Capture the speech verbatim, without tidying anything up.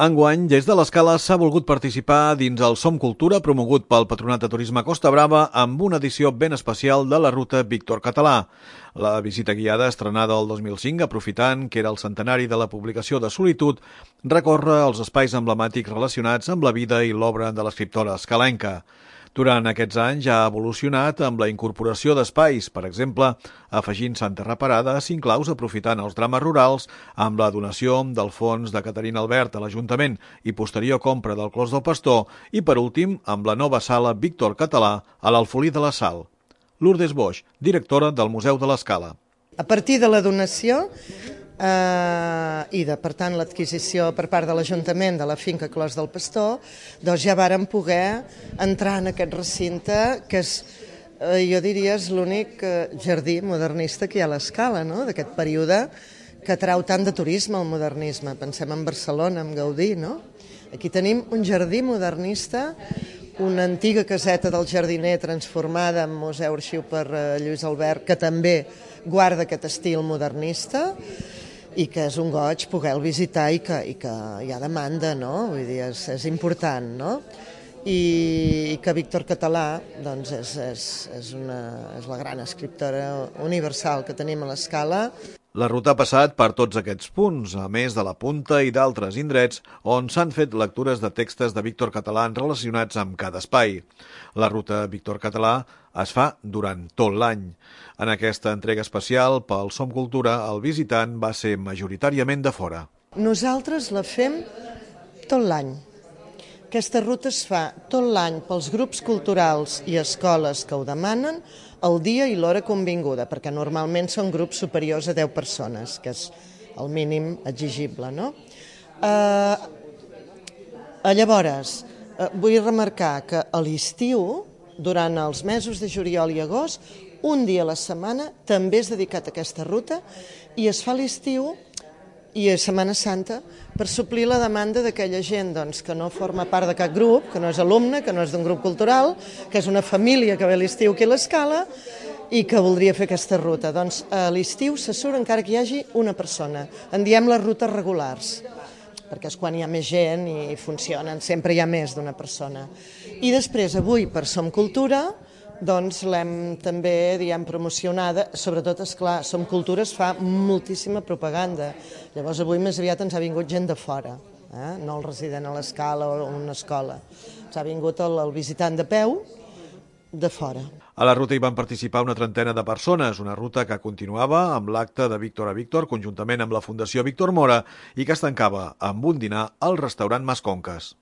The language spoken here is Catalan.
Enguany, des de l'Escala s'ha volgut participar dins el Som Cultura promogut pel Patronat de Turisme Costa Brava amb una edició ben especial de la ruta Víctor Català. La visita guiada, estrenada el dos mil cinc, aprofitant que era el centenari de la publicació de Solitud, recorre els espais emblemàtics relacionats amb la vida i l'obra de l'escriptora escalenca. Durant aquests anys ha evolucionat amb la incorporació d'espais, per exemple, afegint Santa Reparada a cinc claus aprofitant els drames rurals amb la donació del fons de Caterina Albert a l'Ajuntament i posterior compra del Clos del Pastor i, per últim, amb la nova sala Víctor Català a l'Alfolí de la Sal. Lourdes Boix, directora del Museu de l'Escala. A partir de la donació eh, i de, per tant, l'adquisició per part de l'Ajuntament de la finca Clos del Pastor, doncs ja vàrem poder entrar en aquest recinte que és, eh, jo diria, és l'únic eh, jardí modernista que hi ha a l'Escala, no?, d'aquest període que atrau tant de turisme al modernisme. Pensem en Barcelona, en Gaudí, no? Aquí tenim un jardí modernista, una antiga caseta del jardiner transformada en museu arxiu per Lluís Albert, que també guarda aquest estil modernista i que és un goig poder-lo visitar i que, i que hi ha demanda, no? Vull dir, és, és important, no? I, i que Víctor Català doncs és, és, és, una, és la gran escriptora universal que tenim a l'Escala. La ruta ha passat per tots aquests punts, a més de la Punta i d'altres indrets on s'han fet lectures de textos de Víctor Català relacionats amb cada espai. La ruta Víctor Català es fa durant tot l'any. En aquesta entrega especial pel Som Cultura, el visitant va ser majoritàriament de fora. Nosaltres la fem tot l'any. Aquesta ruta es fa tot l'any pels grups culturals i escoles que ho demanen, el dia i l'hora convinguda, perquè normalment són grups superiors a deu persones, que és el mínim exigible, no? Eh, llavors, eh, vull remarcar que a l'estiu, durant els mesos de juliol i agost, un dia a la setmana també és dedicat a aquesta ruta i es fa a l'estiu i a Setmana Santa per suplir la demanda d'aquella gent doncs, que no forma part de cap grup, que no és alumne, que no és d'un grup cultural, que és una família que ve a l'estiu aquí a l'Escala i que voldria fer aquesta ruta. Doncs a l'estiu se surt encara que hi hagi una persona. En diem les rutes regulars, perquè és quan hi ha més gent i funcionen, sempre hi ha més d'una persona. I després, avui, per Som Cultura, doncs l'hem també, diguem, promocionada, sobretot, esclar, Som Cultura es fa moltíssima propaganda. Llavors avui més aviat ens ha vingut gent de fora, eh? No el resident a l'Escala o una escola. Ens ha vingut el, el visitant de peu de fora. A la ruta hi van participar una trentena de persones, una ruta que continuava amb l'acte de Víctor a Víctor, conjuntament amb la Fundació Víctor Mora, i que es tancava amb un dinar al restaurant Masconques.